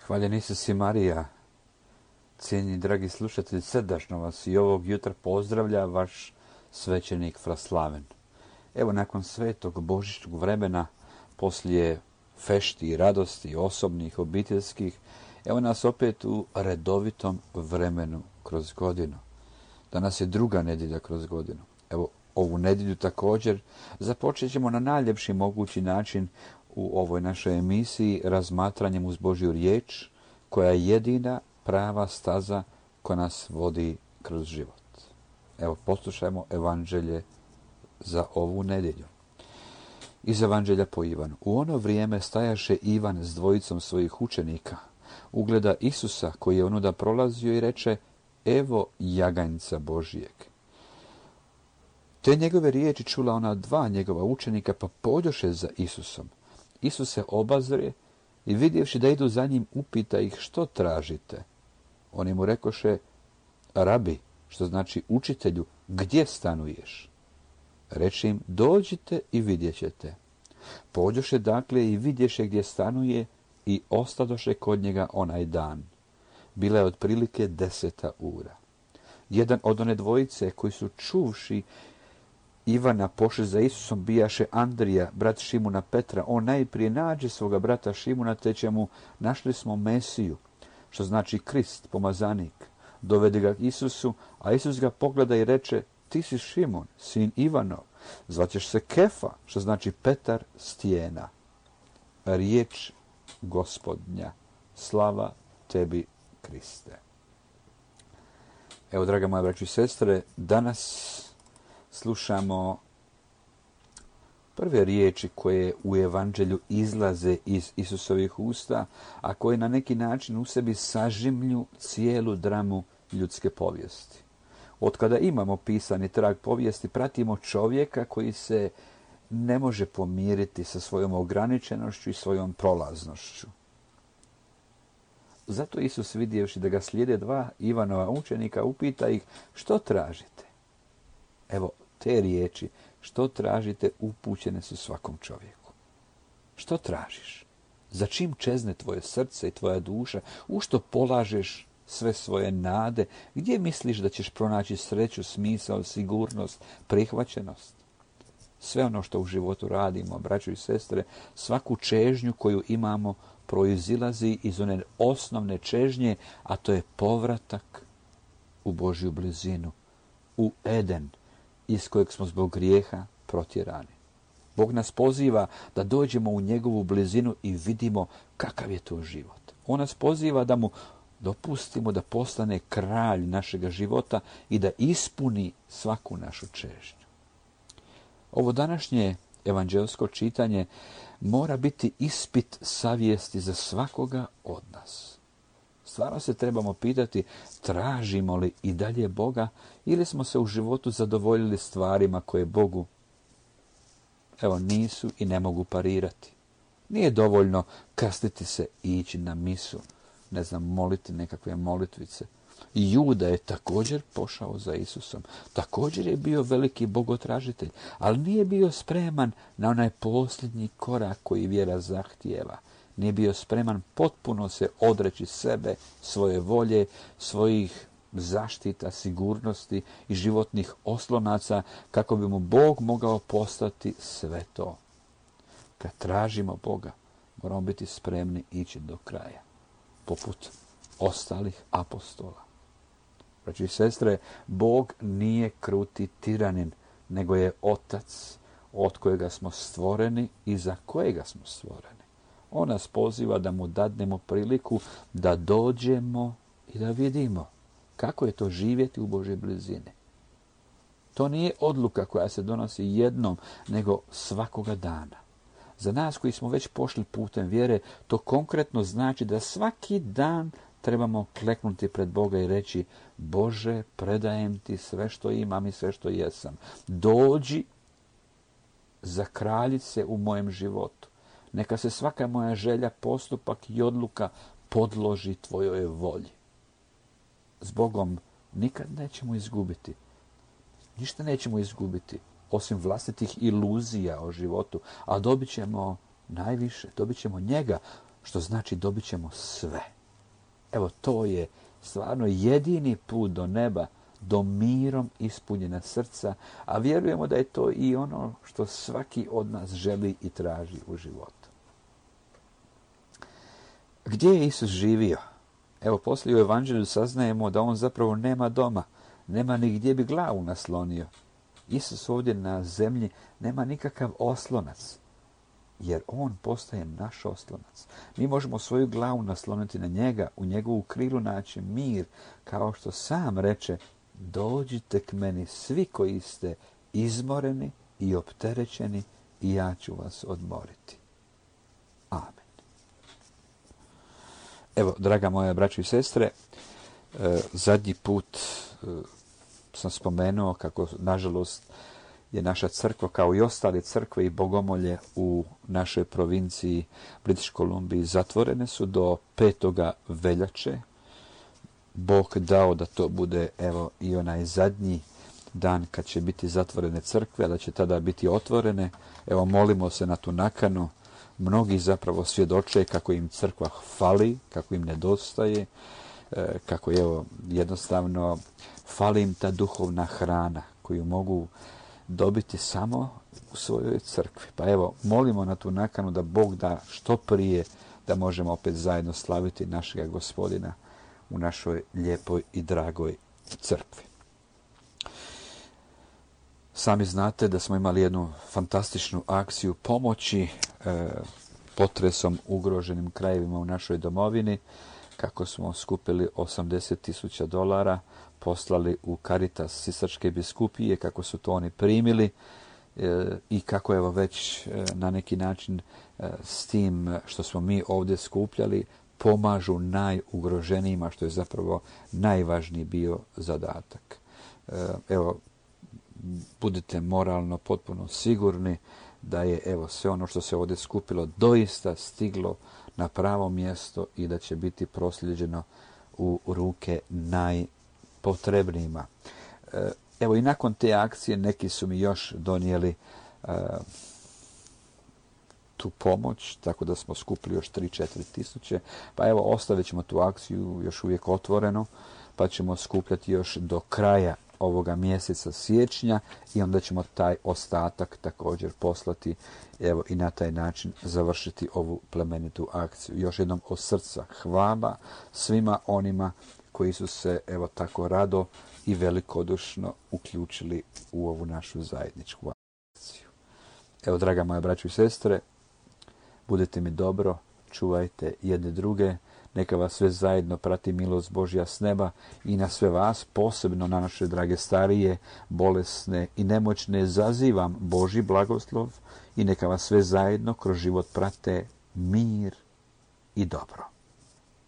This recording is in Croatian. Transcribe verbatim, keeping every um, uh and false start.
Hvaljen Isus i Marija. Cijenjeni dragi slušatelji, srdačno vas i ovog jutra pozdravlja vaš svećenik Fraslaven. Evo, nakon svetog božićnog vremena, poslije fešti i radosti osobnih, obiteljskih, evo nas opet u redovitom vremenu kroz godinu. Danas je druga nedjelja kroz godinu. Evo, ovu nedjelju također započet ćemo na najljepši mogući način u ovoj našoj emisiji razmatranjem uz Božju riječ, koja je jedina prava staza koja nas vodi kroz život. Evo, poslušajmo evanđelje za ovu nedjelju. Iz evanđelja po Ivanu. U ono vrijeme stajaše Ivan s dvojicom svojih učenika. Ugleda Isusa koji je onuda prolazio i reče: evo jaganjca Božijeg. Te njegove riječi čula ona dva njegova učenika, pa pođoše za Isusom. Isus se obazre i vidjevši da idu za njim, upita ih: što tražite? Oni mu rekoše: rabi, što znači učitelju, gdje stanuješ? Reče im: dođite i vidjet ćete. Pođoše dakle i vidješe gdje stanuje i ostadoše kod njega onaj dan. Bila je otprilike deseta ura. Jedan od one dvojice koji su čuvši Ivana pošli za Isusom bijaše Andrija, brat Šimuna Petra. On najprije nađe svoga brata Šimuna, te će mu: našli smo Mesiju, što znači Krist, pomazanik. Dovede ga Isusu, a Isus ga pogleda i reče: ti si Šimun, sin Ivanov, zvaćeš se Kefa, što znači Petar, stijena. Riječ Gospodnja, slava tebi, Kriste. Evo, draga moja braćo i sestre, danas slušamo prve riječi koje u evanđelju izlaze iz Isusovih usta, a koje na neki način u sebi sažimlju cijelu dramu ljudske povijesti. Otkada imamo pisani trag povijesti, pratimo čovjeka koji se ne može pomiriti sa svojom ograničenošću i svojom prolaznošću. Zato Isus, vidjevši da ga slijede dva Ivanova učenika, upita ih: što tražite? Evo, te riječi, što tražite, upućene su svakom čovjeku. Što tražiš? Za čim čezne tvoje srce i tvoja duša? U što polažeš sve svoje nade? Gdje misliš da ćeš pronaći sreću, smisao, sigurnost, prihvaćenost? Sve ono što u životu radimo, braćo i sestre, svaku čežnju koju imamo proizilazi iz one osnovne čežnje, a to je povratak u Božju blizinu, u Eden, iz kojeg smo zbog grijeha protjerani. Bog nas poziva da dođemo u njegovu blizinu i vidimo kakav je to život. On nas poziva da mu dopustimo da postane kralj našega života i da ispuni svaku našu čežnju. Ovo današnje evanđelsko čitanje mora biti ispit savjesti za svakoga od nas. Stvarno se trebamo pitati: tražimo li i dalje Boga, ili smo se u životu zadovoljili stvarima koje Bogu, evo, nisu i ne mogu parirati. Nije dovoljno krstiti se i ići na misu, ne znam, moliti nekakve molitvice. I Juda je također pošao za Isusom. Također je bio veliki bogotražitelj, ali nije bio spreman na onaj posljednji korak koji vjera zahtijeva. Nije bio spreman potpuno se odreći sebe, svoje volje, svojih zaštita, sigurnosti i životnih oslonaca, kako bi mu Bog mogao postati sve to. Kad tražimo Boga, moramo biti spremni ići do kraja, poput ostalih apostola. Braći i sestre, Bog nije kruti tiranin, nego je Otac od kojega smo stvoreni i za kojega smo stvoreni. On nas poziva da mu dadnemo priliku da dođemo i da vidimo kako je to živjeti u Božoj blizini. To nije odluka koja se donosi jednom, nego svakoga dana. Za nas koji smo već pošli putem vjere, to konkretno znači da svaki dan trebamo kleknuti pred Boga i reći: Bože, predajem ti sve što imam i sve što jesam. Dođi, zakralji se u mojem životu. Neka se svaka moja želja, postupak i odluka podloži tvojoj volji. S Bogom nikad nećemo izgubiti. Ništa nećemo izgubiti, osim vlastitih iluzija o životu, a dobit ćemo najviše, dobit ćemo njega, što znači dobit ćemo sve. Evo, to je stvarno jedini put do neba, do mirom ispunjena srca, a vjerujemo da je to i ono što svaki od nas želi i traži u životu. Gdje je Isus živio? Evo, poslije u Evanđelju saznajemo da on zapravo nema doma, nema ni gdje bi glavu naslonio. Isus ovdje na zemlji nema nikakav oslonac, jer on postaje naš oslonac. Mi možemo svoju glavu nasloniti na njega, u njegovu krilu naći mir, kao što sam reče, dođite k meni svi koji ste izmoreni i opterećeni i ja ću vas odmoriti. Amen. Evo, draga moja braćo i sestre, zadnji put sam spomenuo kako, nažalost, je naša crkva, kao i ostale crkve i bogomolje u našoj provinciji British Columbiji, zatvorene su do petoga veljače. Bog dao da to bude, evo, i onaj zadnji dan kad će biti zatvorene crkve, a da će tada biti otvorene. Evo, molimo se na tu nakanu. Mnogi zapravo svjedoče kako im crkva fali, kako im nedostaje, kako evo, jednostavno fali im ta duhovna hrana koju mogu dobiti samo u svojoj crkvi. Pa evo, molimo na tu nakanu da Bog da što prije da možemo opet zajedno slaviti našega Gospodina u našoj lijepoj i dragoj crkvi. Sami znate da smo imali jednu fantastičnu akciju pomoći e, potresom ugroženim krajevima u našoj domovini, kako smo skupili osamdeset tisuća dolara, poslali u Caritas Sisačke biskupije, kako su to oni primili e, i kako evo već e, na neki način e, s tim što smo mi ovdje skupljali pomažu najugroženijima, što je zapravo najvažniji bio zadatak. E, evo, budite moralno potpuno sigurni da je evo sve ono što se ovdje skupilo doista stiglo na pravo mjesto i da će biti prosljeđeno u ruke najpotrebnijima. Evo i nakon te akcije neki su mi još donijeli uh, tu pomoć, tako da smo skupili još tri do četiri tisuće. Pa evo, ostavit ćemo tu akciju još uvijek otvorenu, pa ćemo skupljati još do kraja ovoga mjeseca siječnja i onda ćemo taj ostatak također poslati, evo, i na taj način završiti ovu plemenitu akciju. Još jednom od srca hvala svima onima koji su se evo tako rado i velikodušno uključili u ovu našu zajedničku akciju. Evo, draga moja braćo i sestre, budete mi dobro, čuvajte jedne druge, neka vas sve zajedno prati milost Božja s neba i na sve vas, posebno na naše drage starije, bolesne i nemoćne, zazivam Božji blagoslov i neka vas sve zajedno kroz život prate mir i dobro.